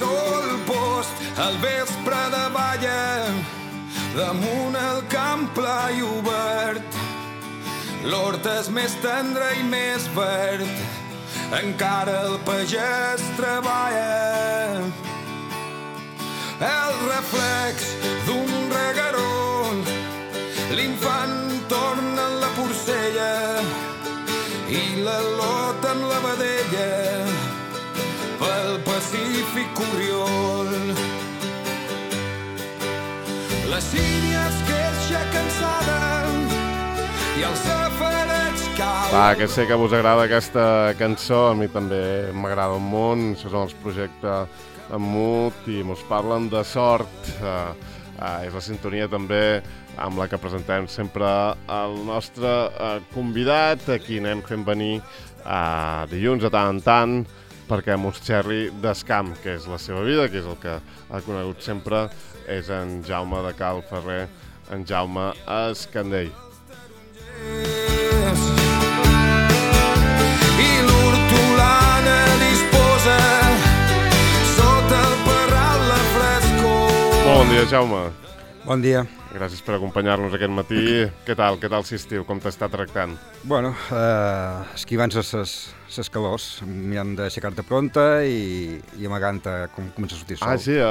sol post al vespre de balla damunt el camp pla i obert. L'hort és més tendre i més verd, encara el pagès treballa. El reflex d'un regueró, l'infant torna en la porcella i la lota en la vedella pel Pacífic Oriol. La sínia es queixa cansada i els safarets cauen. Va, que sé que us agrada aquesta cançó, a mi també m'agrada un munt. Això són els projectes en mut i mos parlen de sort. És la sintonia també amb la que presentem sempre el nostre convidat. Aquí anem fent venir dilluns de tant en tant perquè mos xerri d'escamp, que és la seva vida, que és el que ha conegut sempre, és en Jaume de Cal Ferrer, en Jaume Escandell. I l'hortolana disposa sota el parral la frescor. Bon dia, Jaume. Bon dia. Gràcies per acompanyar-nos aquest matí. Què tal l'estiu? Com t'està tractant? Bueno, esquivant ses calors, mirant d'aixecar-te pronta i amagant-te com comença a sortir el sol. Sí,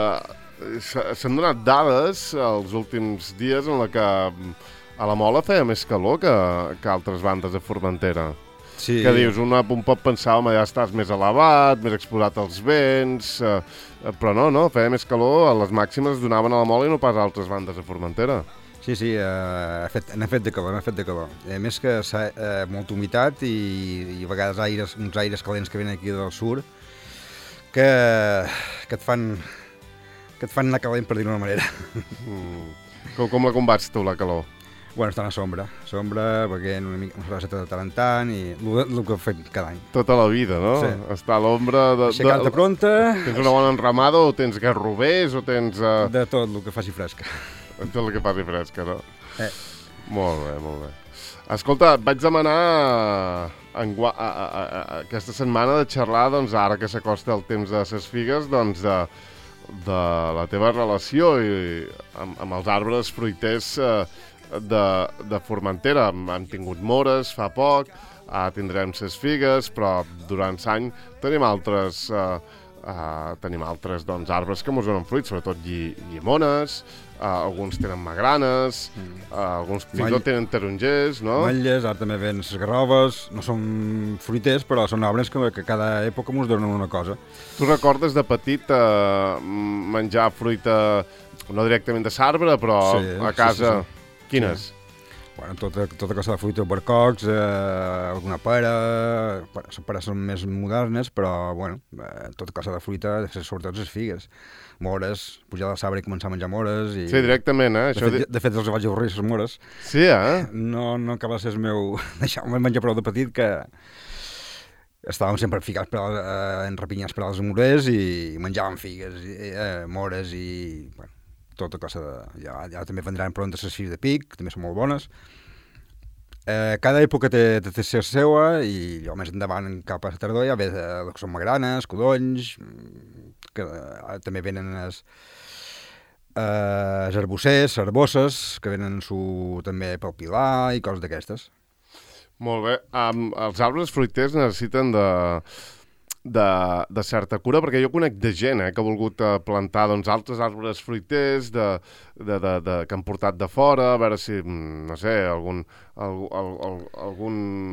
s'han donat dades els últims dies en la que a la Mola feia més calor que altres bandes de Formentera. Sí. Que dius, un pot pensar, home, ja estàs més elevat, més exposat als vents, però no, feia més calor, a les màximes es donaven a la Mola i no pas a altres bandes de Formentera. Sí, n'ha fet de calor. A més que molta humitat i a vegades uns aires calents que venen aquí del sud que et fan anar calent, per dir-ho d'una manera. Com la combats tu, la calor? Bueno, estar a la sombra, perquè una cerveseta de tant en tant i el que fem cada any. Tota la vida, no? Sí. Estar a l'ombra de... Aixecar-te pronta... Tens una bona enramada o tens garrovers o tens... De tot el que faci fresca. Tot el que faci fresca, no? Molt bé. Escolta, et vaig demanar aquesta setmana de xerrar, doncs, ara que s'acosta el temps de ses figues, doncs, de la teva relació amb els arbres fruiters de Formentera. Hem tingut mores fa poc, tindrem ses figues, però durant l'any tenim altres doncs, arbres que ens donen fruits, sobretot llimones, alguns tenen magranes, alguns fins i tot tenen tarongers, no? Ametlles, ara també ven les garroves, no són fruiters, però són arbres que cada època ens donen una cosa. Tu recordes de petit menjar fruita, no directament de l'arbre, però a casa... Sí. Quines? Bueno, tota cosa de fruita, barcocs, alguna pera... Les peres són més modernes, però, bueno, tota cosa de fruita, sobretot les figues. Mores, pujar a l'arbre i començar a menjar mores. I... Sí, directament, De fet, els vaig avorrir, les mores. Sí, No acaba de ser el meu... Deixar-me menjar prou de petit, que estàvem sempre ficats enrapinyats per als morers i menjàvem figues, mores i... Bueno, tota cosa de... Ja també vendran pronta les figues de pic, també són molt bones. Cada època té la seva i jo més endavant cap a la tardor ja ve el que són magranes, codonys, que també venen els arbossers, arbosses, que venen també pel pilar i coses d'aquestes. Molt bé. Els arbres fruiters necessiten de certa cura, perquè jo conec de gent que ha volgut plantar doncs, altres arbres fruiters que han portat de fora, a veure si, no sé, algun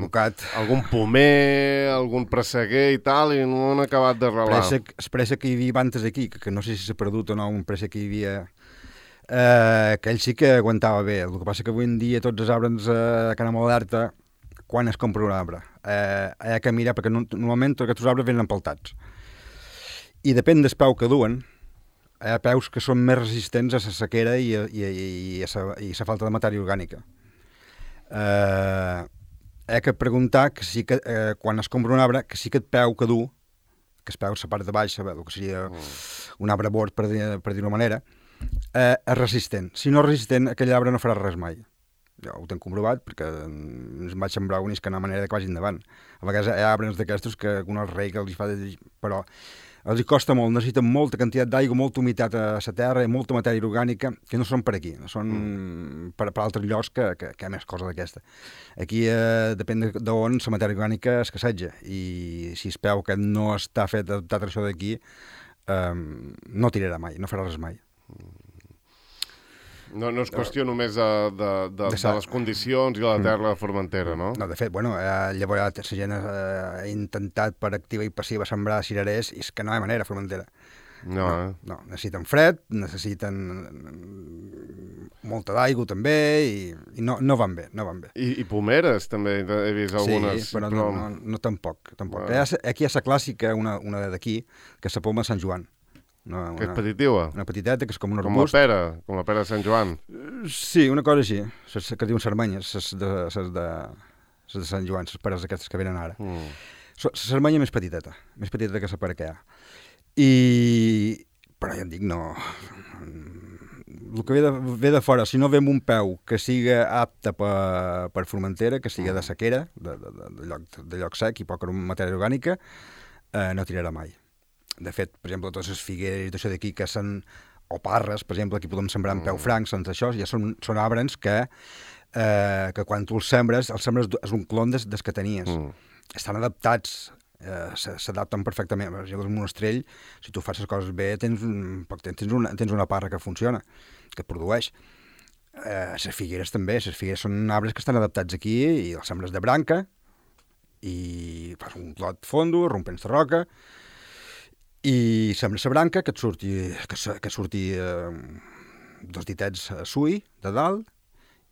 Mocat. Algun pomer, algun presseguer i tal, i no han acabat d'arrelar. El préssec que hi havia abans aquí, que no sé si s'ha perdut o no, un préssec que hi havia... aquell sí que aguantava bé. El que passa que avui en dia tots els arbres a Cana Moderta, quan es compra un arbre, hi ha que mirar, perquè normalment tots aquests arbres venen empeltats. I depèn del peu que duen, hi ha peus que són més resistents a la sequera i a la falta de matèria orgànica. Hi ha que preguntar que sí que, quan es compra un arbre, que sí que el peu que du, que es peu la part de baix, el que seria un arbre bord, per dir-ho manera, és resistent. Si no és resistent, aquell arbre no farà res mai. Jo ho tenc comprovat perquè ens vaig sembrar unis que no hi ha manera que vagi endavant. A vegades hi ha arbres d'aquestos que un rei que els fa... Però Els hi costa molt, necessiten molta quantitat d'aigua, molta humitat a la terra i molta matèria orgànica, que no són per aquí, no són per altres llocs que hi ha més cosa d'aquesta. Aquí depèn d'on la matèria orgànica escasseja, i si es veu que no està fet adaptat a això d'aquí, no tirarà mai, no farà res mai. No és qüestió només de les condicions i la terra de Formentera, no? No, de fet, llavors la gent ha intentat per activa i passiva sembrar cirerers i és que no hi ha manera a Formentera. No, necessiten fred, necessiten molta d'aigua també i no van bé, no van bé. I pomeres també, he vist algunes. Sí, però no tampoc. Aquí hi ha la clàssica, una d'aquí, que és la poma de Sant Joan. Que és petitiva? Una petiteta, que és com un arbust. Com la pera de Sant Joan? Sí, una cosa així, que diuen sarmanyes, les de Sant Joan, les peres aquestes que venen ara. La sarmanya més petiteta que la pera que hi ha. Però ja et dic, no... El que ve de fora, si no ve amb un peu que siga apte per Formentera, que siga de sequera, de lloc sec i poca matèria orgànica, no tirarà mai. De fet, per exemple, totes les figueres i tot això d'aquí que són, o parres, per exemple, aquí podem sembrar en peu franc, sense això, ja són arbres que quan tu els sembres és un clon des que tenies. Estan adaptats, s'adapten perfectament. Per exemple, el monestrell, si tu fas les coses bé, tens una parra que funciona, que produeix. Les figueres també, les figueres són arbres que estan adaptats aquí i els sembres de branca i fas un clot fondo, rompents de roca, i sembra la branca que surti 2 ditets a sui de dalt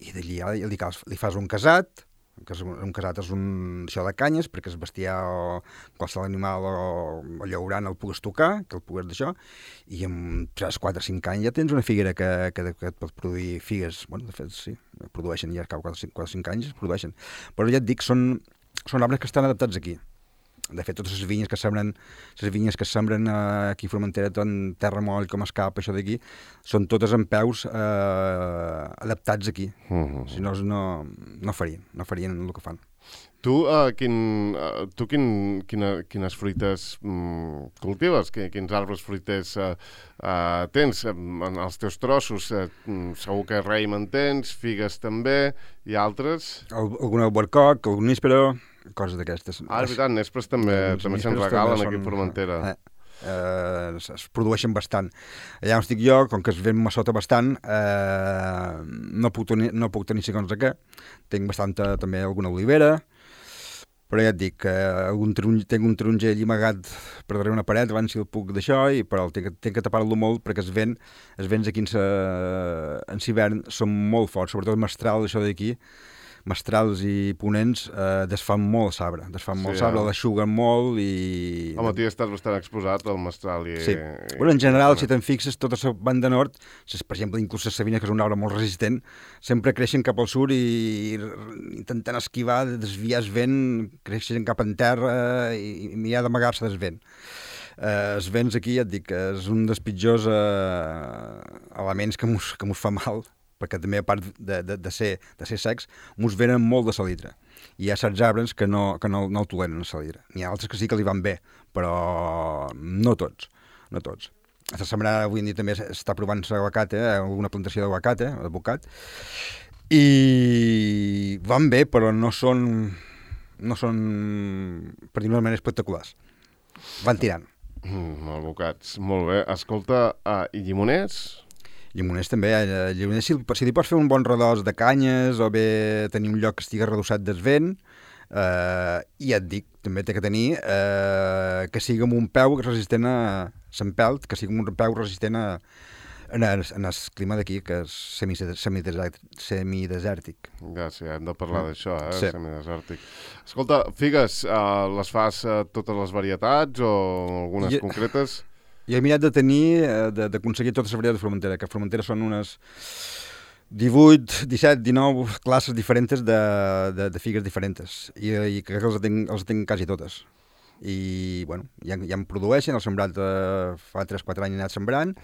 i d'allà li fas un casat, que un casat és això de canyes perquè el bestiar o qualsevol animal o llaurant el pugues tocar, que el pugues d'això, i en 3, 4, 5 anys ja tens una figuera que et pot produir figues. Bueno, de fet, sí, produeixen ja, cada 4 o 5 anys es produeixen. Però ja et dic, són arbres que estan adaptats aquí. De fet, totes les vinyes que sembren aquí a Formentera, tant terra moll com escap, això d'aquí, són totes amb peus adaptats aquí. Si no, no farien el que fan. Tu quines fruites cultives? Quins arbres fruiters tens? En els teus trossos segur que raïm en tens, figues també, i altres? Algun albercoc, algun níspero, coses d'aquestes. És veritat, nespres també se'n regalen aquí a Formentera. Es produeixen bastant. Allà on estic jo, com que es ven massota bastant, no puc tenir segons de què. Tinc bastanta també alguna olivera, però ja et dic, tinc un taronger allí amagat per darrere una paret, abans si el puc d'això, però tinc que tapar-lo molt perquè els vents aquí en hivern són molt forts, sobretot el mestral, això d'aquí, mestrals i ponents desfan molt sabre, l'eixuguen molt i... Home, tu estàs bastant exposat al mestral i... Sí. Bueno, en general, si te'n fixes, tota la banda nord, per exemple, inclús la savina, que és un arbre molt resistent, sempre creixen cap al sud i intentant esquivar, desviar el vent, creixen cap en terra i mirar d'amagar-se del vent. Els vents aquí, ja et dic, és un dels pitjors elements que mos fa mal, perquè també a part de ser secs, mos venen molt de salitre. I hi ha certs arbres que no el toleren, el salitre. N'hi ha altres que sí que li van bé, però no tots. A sembrar avui en dia també s'està provant l'aguacate, alguna plantació d'aguacat, i van bé, però no són per dir-ho d'una manera espectaculars. Van tirant. Abocats, molt bé. Escolta, i llimoners? Llimoners també, si li pots fer un bon redós de canyes o bé tenir un lloc que estigui redossat del vent, i ja et dic, també té que tenir que sigui amb un peu resistent a l'empelt, que sigui amb un peu resistent en el clima d'aquí, que és semidesèrtic. Ja, sí, hem de parlar d'això, sí. Semidesèrtic. Escolta, figues, les fas totes les varietats o algunes concretes? Jo he mirat d'aconseguir totes les varietats de Formentera, que a Formentera són unes 18, 17, 19 classes diferents de figues diferents, i crec que els tinc quasi totes. I, bueno, ja em produeixen, el sembrat fa 3-4 anys he anat sembrant.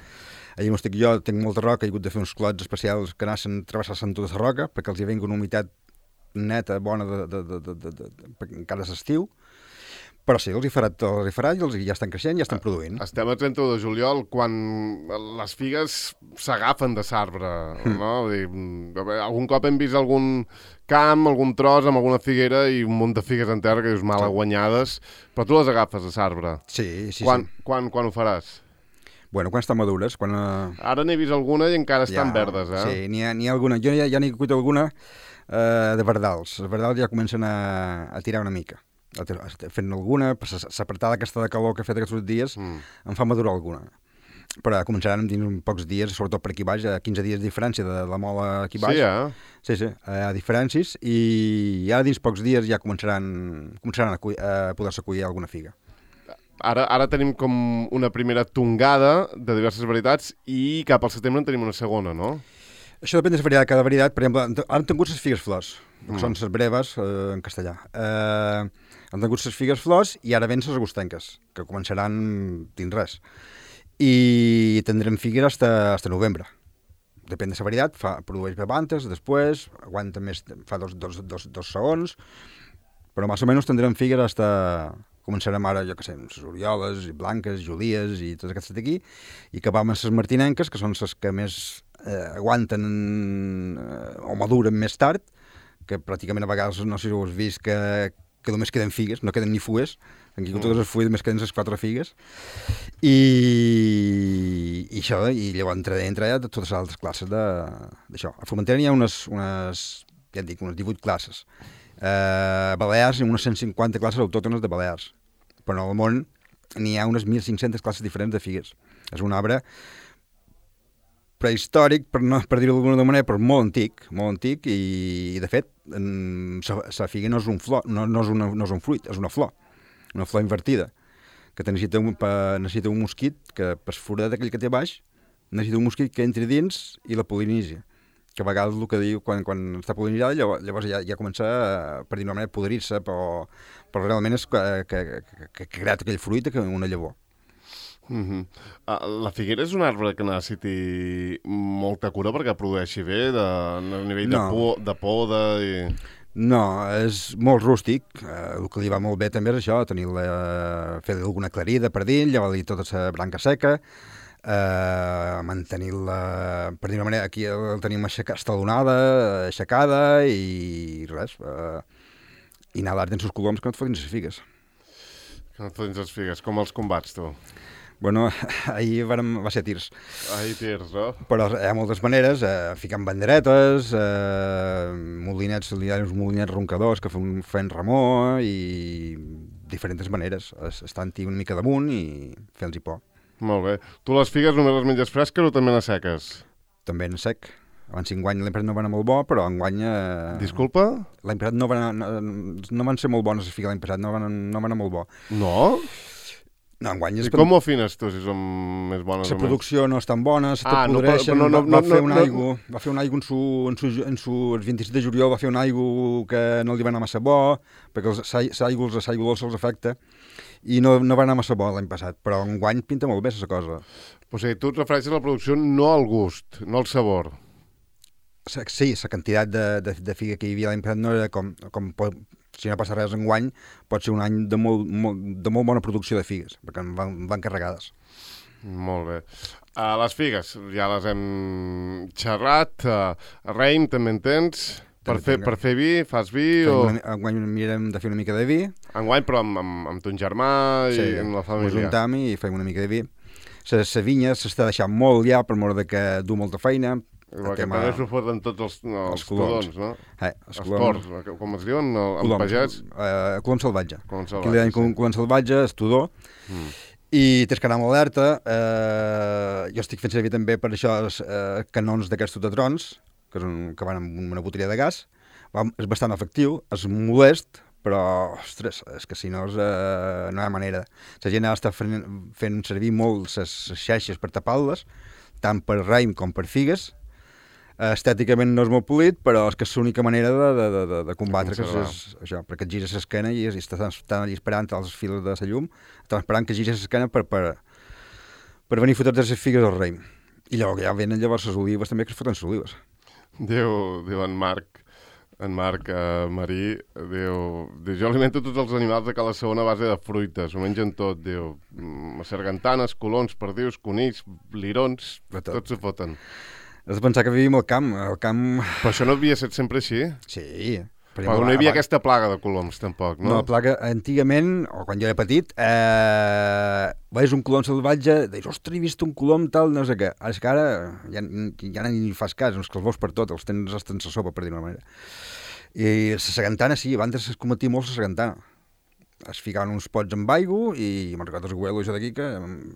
Allà on estic jo tinc molta roca, he hagut de fer uns clots especials que anaven travessant tota la roca, perquè els hi venga una humitat neta, bona, perquè encara és estiu. Però sí, els hi farà i els ja estan creixent, ja estan produint. Estem a 31 de juliol, quan les figues s'agafen de l'arbre, no? Vull dir, algun cop hem vist algun camp, algun tros amb alguna figuera i un munt de figues en terra que dius mal guanyades, però tu les agafes de l'arbre. Sí. Quan ho faràs? Bueno, quan estan madures, quan... Ara n'he vist alguna i encara estan verdes, eh? Sí, n'hi ha alguna. Jo ja n'he cuit alguna de verdals. Els verdals ja comencen a tirar una mica. Fent alguna, l'apretada aquesta de calor que ha fet aquests dies em fa madurar alguna. Però començaran dins uns pocs dies, sobretot per aquí baix, a 15 dies de diferència de la mola aquí baix. Sí, Sí, a diferències, i ara dins pocs dies ja començaran a poder-se collir alguna figa. Ara tenim com una primera tongada de diverses varietats i cap al setembre en tenim una segona, no? Això depèn de la cada varietat. Per exemple, ara han tingut les figues flors, que són les breves en castellà. Han tingut les figues flors i ara ven les agostenques, que començaran dins res. I tindrem figues fins a novembre. Depèn de la varietat, produeix bevantes, després, aguanta més, fa dos segons, però més o menys tindrem figues fins... Començarem ara, jo què sé, les orioles, i blanques, julies i totes aquestes d'aquí, i acabam amb les martinenques, que són les que més aguanten o maduren més tard, que pràcticament a vegades, no sé si ho has vist, que només queden figues, no queden ni fues, aquí totes les fulles només queden les 4 figues, i això, i llavors entre totes les altres classes d'això. A Formentera n'hi ha unes 18 classes. A Balears hi ha unes 150 classes autòctones de Balears, però al món n'hi ha unes 1.500 classes diferents de figues. És un arbre prehistòric, per dir-ho d'alguna manera, però molt antic, i de fet la figa no és un flor, no és un fruit, és una flor invertida, que necessita un mosquit que per forat aquell que té baix necessita un mosquit que entri dins i la polinitzi, que a vegades el que diu quan està polinitzada llavors ja comença per dir-ho d'una manera a podrir-se, però realment és que ha creat aquell fruit una llavor. La figuera és un arbre que necessiti molta cura perquè produeixi bé a nivell de poda i... No, és molt rústic. El que li va molt bé també és això, fer alguna clarida per dins, llevar-li tota la branca seca, mantenir-la, per dir-ho d'una manera, aquí el tenim estalonada, aixecada i res, i anar d'art en els coloms que no et fotin les figues. Que no et fotin les figues, com els combats, tu? Bueno, ahir va ser tirs. Ahir tirs, no? Però hi ha moltes maneres, ficant banderetes, molinets, hi ha uns molinets roncadors que fan remor i diferents maneres, estant-hi una mica damunt i fent-los por. Molt bé. Tu les figues només les menges fresques o també les seques? També en sec. Abans enguany l'any passat no va anar molt bo, però enguany... Disculpa? L'any passat no van ser molt bones les figues l'any passat, no van anar molt bo. No? No, enguany és... I com ho afines tu, si són més bones o menys? La producció no és tan bona, se tot podreixen, va fer un aigua en el 26 de juliol, va fer un aigua que no li va anar massa bo, perquè l'aigua dolça els afecta, i no va anar massa bo l'any passat, però enguany pinta molt bé la cosa. O sigui, tu et refereixes a la producció no al gust, no al sabor. Sí, la quantitat de figa que hi havia l'any passat no era com si no passa res enguany, pot ser un any de molt bona producció de figues, perquè van carregades. Molt bé. Les figues, ja les hem xerrat. Raïm, també en tens? Per fer vi, fas vi? Enguany mirem de fer una mica de vi. Enguany, però amb ton germà i amb la família. Sí, juntam i fem una mica de vi. La vinya s'està deixant molt ja, per mort que du molta feina. Que també s'ho foten tots els codons, no? Els torns, com es diuen, en pagès? Colom salvatge. Aquí li deien colom salvatge, estudor. I tens que anar amb alerta. Jo estic fent servir també per això canons d'aquests totatrons, que van amb una botella de gas. És bastant efectiu, és molest, però, ostres, és que si no no hi ha manera. La gent està fent servir molt les xeixes per tapar-les, tant per raïm com per figues. Estèticament no és molt polit, però és que és l'única manera de combatre que és això, perquè et gires l'esquena i estan allà esperant als fils de la llum, estan esperant que gires l'esquena per venir fotre les figues al raïm. I llavors ja venen les olives també, que es foten les olives. Diu en Marc, En Marc Marí diu, jo alimento tots els animals de Cala Segona a base de fruites, ho mengen tot, diu, sargantanes, colons, perdius, conills, lirons, tots ho foten. Has de pensar que vivim al camp. Però això no havia estat sempre així? Sí. Però no hi havia aquesta plaga de coloms, tampoc, no? No, la plaga, antigament, o quan jo era petit, veies un colom salvatge, deies, ostres, he vist un colom tal, no sé què. Ara ja ni fas cas, que els veus per tot, els tens a sopa, per dir-ho d'una manera. I la sagantana, sí, abans es cometia molt la sagantana. Es ficaven uns pots amb aigua i me'n recordo els abuelos d'aquí que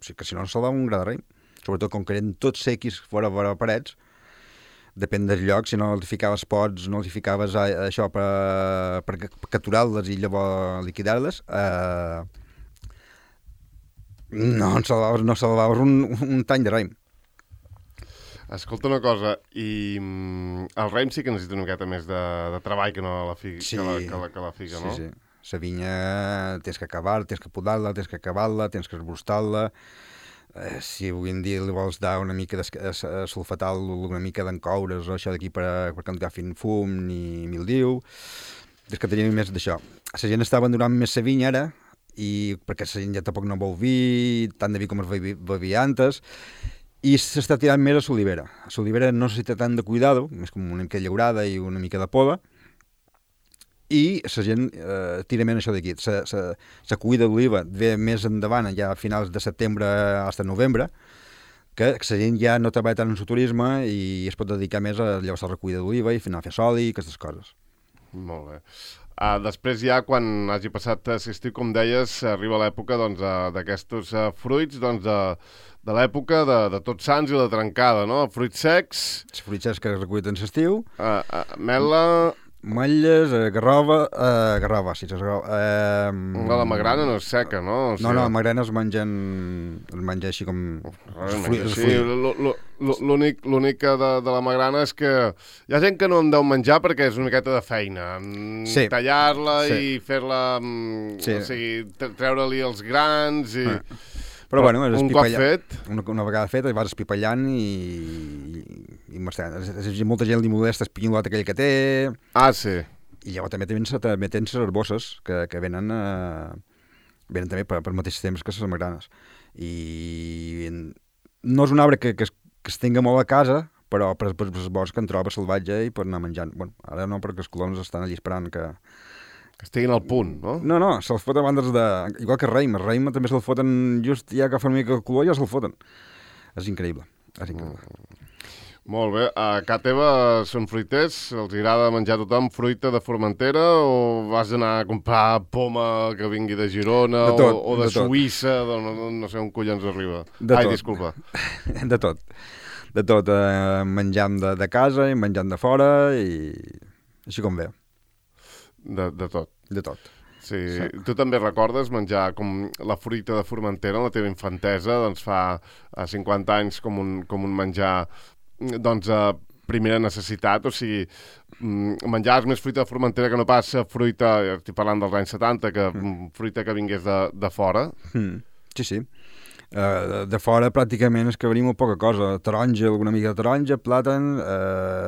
si no ens salvava un gra de raïm. Sobretot com que eren tots sequis fora parets, depèn del lloc, si no els ficaves pots, no els ficaves això per capturar-les i llavors liquidar-les, no salvaves un tany de raïm. Escolta una cosa, i el raïm sí que necessita una miqueta més de treball que no la figa, sí, que la figa, no? Sí, sí. La vinya tens que acabar, tens que podar-la, tens que acabar-la, tens que esbrostar-la. Si avui en dia li vols dar una mica de sulfatal, una mica d'encoures o això d'aquí per que no agafin fum ni mildiu, és que tenim més d'això. La gent està abandonant més la vinya ara, i perquè la gent ja tampoc no vol vi, tant de vi com es bevia antes, i s'està tirant més a l'olivera. L'olivera no necessita tant de cuidado, més com una mica llaurada i una mica de poda, i la gent tira menys això d'aquí. La cuida d'oliva ve més endavant, ja a finals de setembre fins a novembre, que la gent ja no treballa tant en el turisme i es pot dedicar més a llavors a la cuida d'oliva i a fer oli i aquestes coses. Molt bé. Després ja, quan hagi passat l'estiu, com deies, arriba l'època d'aquests fruits, de l'època de Tots Sants i la trencada, no? Fruits secs... Els fruits secs que es recullen en l'estiu. Mel·la... Malles, garrova, sí, la magrana no és seca, no? O sigui... No, la magrana es menja així com... L'únic de la magrana és que hi ha gent que no en deu menjar perquè és una miqueta de feina. Sí. Tallar-la i fer-la... Sí. O sigui, treure-li els grans i... Però bueno, un cop fet... Una vegada fet, vas espipallant i molta gent li molesta el pinyolot aquell que té... Ah, sí. I llavors també tens les herboses que venen també per mateix temps que les magranes. I no és un arbre que es tinga molt a casa, però per els boscs que en troba salvatge i per anar menjant. Bueno, ara no, perquè els coloms estan allà esperant que estiguin al punt, no? No, se'ls foten bandes de... Igual que raïm. El raïm també se'l foten just ja que fa una mica el color, ja se'l foten. És increïble. Molt bé. A casa teva són fruiters? Els agrada menjar a tothom fruita de Formentera o vas anar a comprar poma que vingui de Girona o de Suïssa, no sé on collons arriba? Disculpa. De tot. De tot. Menjam de casa i menjam de fora i així com ve. De tot. De tot. Sí. Tu també recordes menjar com la fruita de Formentera en la teva infantesa, doncs fa 50 anys com un menjar primera necessitat, o sigui, menjaves més fruita de Formentera que no pas fruita, estic parlant dels anys 70, que fruita que vingués de fora. Sí. De fora pràcticament és que venia molt poca cosa. Taronja, alguna mica de taronja, plàtan...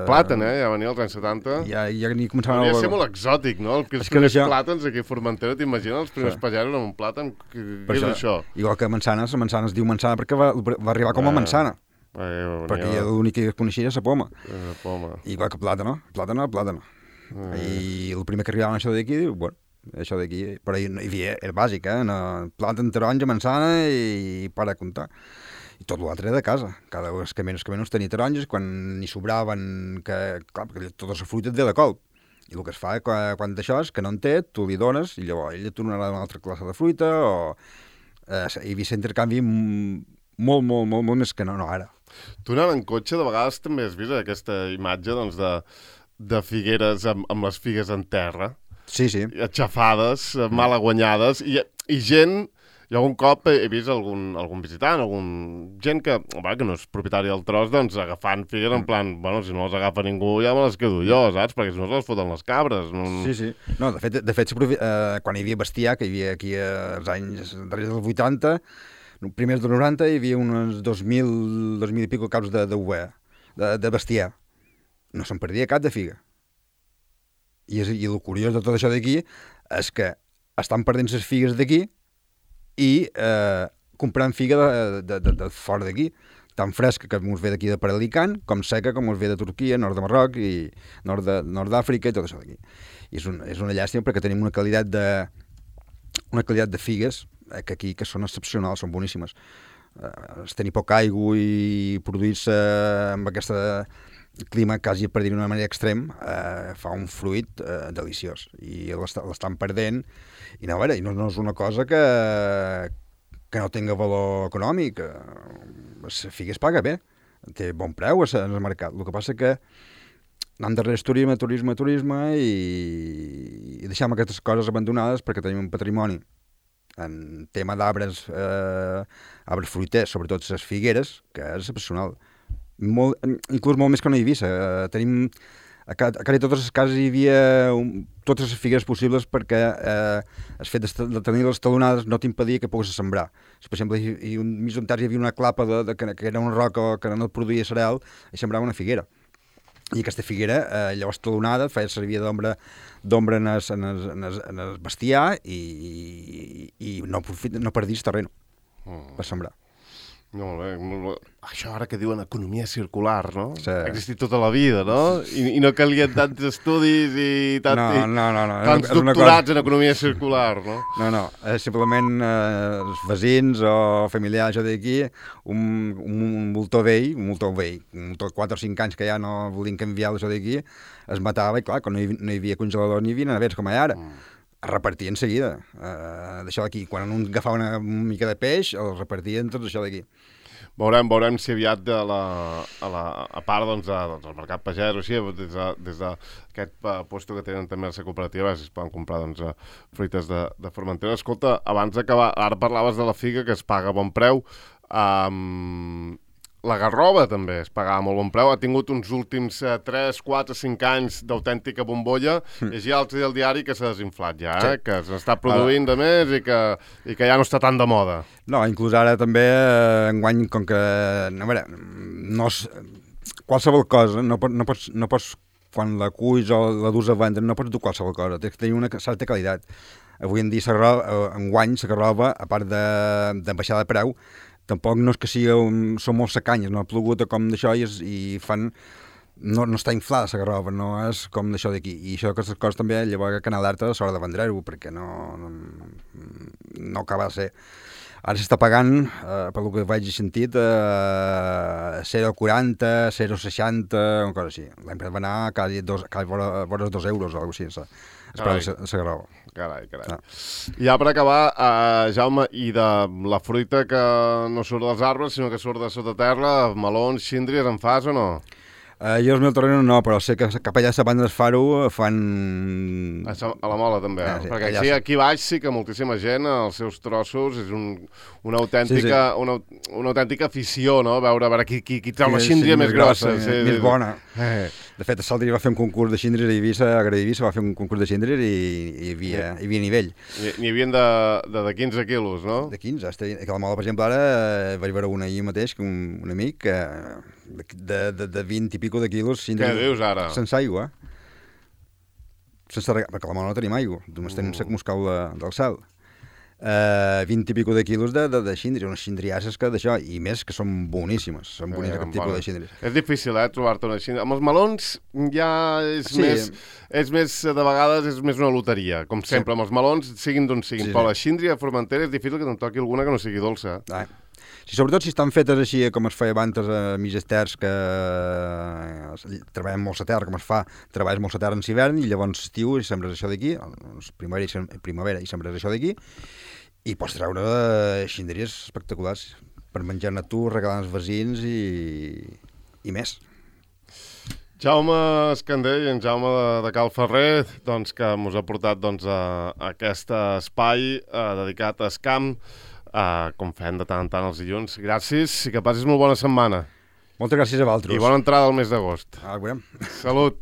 Plàtan, ja venia als anys 70. Ja ni començaven... Hauria de ser molt exòtic, no? Els primers plàtans aquí a Formentera, t'imagines? Els primers pagesos amb un plàtan, què és això? Igual que mansanes, la manzana es diu manzana perquè va arribar com a manzana. Perquè l'únic que coneixia és la poma. Igual que plàtano. I el primer que arribava això d'aquí, diu, bueno, això d'aquí, però hi havia, era bàsic, plàtan, taronja, manzana i para de comptar. I tot l'altre era de casa. Cada vegada que menys tenia taronges, quan n'hi sobraven, clar, perquè tota la fruita et ve de colp. I el que es fa quan d'això és que no en té, tu li dones i llavors ell et donarà una altra classe de fruita o... hi havia intercanvi molt més que no ara. Tu anant en cotxe, de vegades també has vist aquesta imatge de figueres amb les figues en terra. Sí. Aixafades, mal aguanyades, i gent... Jo algun cop he vist algun visitant, gent que no és propietari del tros, doncs agafant figues en plan, bueno, si no les agafa ningú ja me les quedo jo, saps? Perquè si no se les foten les cabres. No... Sí. No, de fet quan hi havia bestiar, que hi havia aquí als anys darrere dels 80, primers dels 90, hi havia uns 2.000 i pico caps de bestiar. No se'n perdia cap de figa. I el curiós de tot això d'aquí és que estan perdent les figues d'aquí i comprant figa de fora d'aquí, tan fresca que ens ve d'aquí de per Alicant, com seca com ens ve de Turquia, nord de Marroc i nord d'Àfrica i tot això d'aquí. I és una llàstima perquè tenim una qualitat de figues que aquí que són excepcionals, són boníssimes. Tenir poca aigua i produir-se amb aquest clima quasi per dir d'una manera extrem fa un fruit deliciós i l'estan perdent i no, a veure, no és una cosa que no tinga valor econòmic. La figa es paga bé, té bon preu en el mercat. El que passa que anem darrere turisme i deixem aquestes coses abandonades perquè tenim un patrimoni en tema d'arbres fruiters, sobretot les figueres, que és excepcional. Inclús molt més que una Eivissa. Tenim a quasi totes les cases hi havia totes les figueres possibles perquè el fet de tenir les talonades no t'impedia que poguessis sembrar. Per exemple, mig d'un terç hi havia una clapa que era una roca que no et produïa cereal i sembrava una figuera. I aquesta figuera, llavors talonada, feia servir d'ombra en el bestiar i no perdis terreny per sembrar. Molt bé. Això ara que diuen economia circular, no? Sí. Ha existit tota la vida, no? I no calien tants estudis i tants doctorats en economia circular, no? No, simplement els veïns o familiars d'aquí, un moltó vell, un moltó de 4 o 5 anys que ja no volien canviar això d'aquí, es matava i clar, quan no hi havia congelador ni hi havia nevers com hi ha ara. Es repartia en seguida, d'això d'aquí. Quan un agafava una mica de peix, el repartien tot això d'aquí. Veurem si aviat a part del mercat pagès o així, des d'aquest puesto que tenen també a la cooperativa, si es poden comprar fruites de Formentera. Escolta, abans d'acabar, ara parlaves de la figa, que es paga a bon preu. La garrova també es pagava molt bon preu, ha tingut uns últims 3, 4, 5 anys d'autèntica bombolla. Llegia l'altre dia al diari que s'ha desinflat ja, que s'està produint de més i que ja no està tan de moda. No, inclús ara també enguany, com que qualsevol cosa, no pots quan la cuis o la dus a vendre, no pots dur qualsevol cosa, té que tenir una certa qualitat. Avui en dia enguany la garrova, a part de baixar de preu, tampoc no és que són molt secanyes, no ha plogut com d'això i fan... No està inflada la garrova, no és com d'això d'aquí. I això, aquestes coses també, llavors que anar alerta a l'hora de vendre-ho, perquè no acaba de ser. Ara s'està pagant, pel que vaig sentit, 0,40, 0,60, una cosa així. L'any passat va anar quasi vora 2 euros o alguna cosa així, la garrova. Carai. Ja per acabar, Jaume, i de la fruita que no surt dels arbres, sinó que surt de sota terra, melons, síndries, en fas o no? Jo els meus terrenos no, però sé que cap allà a la banda del Faro fan... A la Mola també, sí, perquè aquí baix sí que moltíssima gent, els seus trossos, és una autèntica afició, no? Veure qui treu la síndria més grossa. Més bona. De fet, a Saltri va fer un concurs de síndries a Eivissa, a Eivissa va fer un concurs de síndries i hi havia nivell. N'hi havia de 15 quilos, no? De 15. A la Mola, per exemple, ara vaig veure una ahir mateix, un amic, de 20 i pico de quilos síndries. Què dius ara? Sense aigua. Perquè a la Mola no tenim aigua, només tenim sec moscal del cel. 20 i pico de quilos de síndries, unes síndriasses que d'això, i més que són boníssimes, aquest tipus de síndries. És difícil, trobar-te una síndria. Amb els melons ja és més, de vegades, és més una loteria, com sempre, amb els melons, siguin d'on siguin, però la síndria formentera és difícil que te'n toqui alguna que no sigui dolça. Sobretot si estan fetes així com es feia abans a mitges terres, que treballem molt la terra, com es fa, treballes molt la terra en l'hivern i llavors estiu i sembres això d'aquí, primavera i sembres això d'aquí, i pots treure xindries espectaculars per menjar-ne tu, regalar als veïns i més. Jaume Escandell, en Jaume de Cal Ferrer, doncs, que ens ha portat a aquest espai dedicat a Escamp, com fem de tant en tant els dilluns. Gràcies i que passis molt bona setmana. Moltes gràcies a vosaltres. I bona entrada al mes d'agost. Veurem. Salut.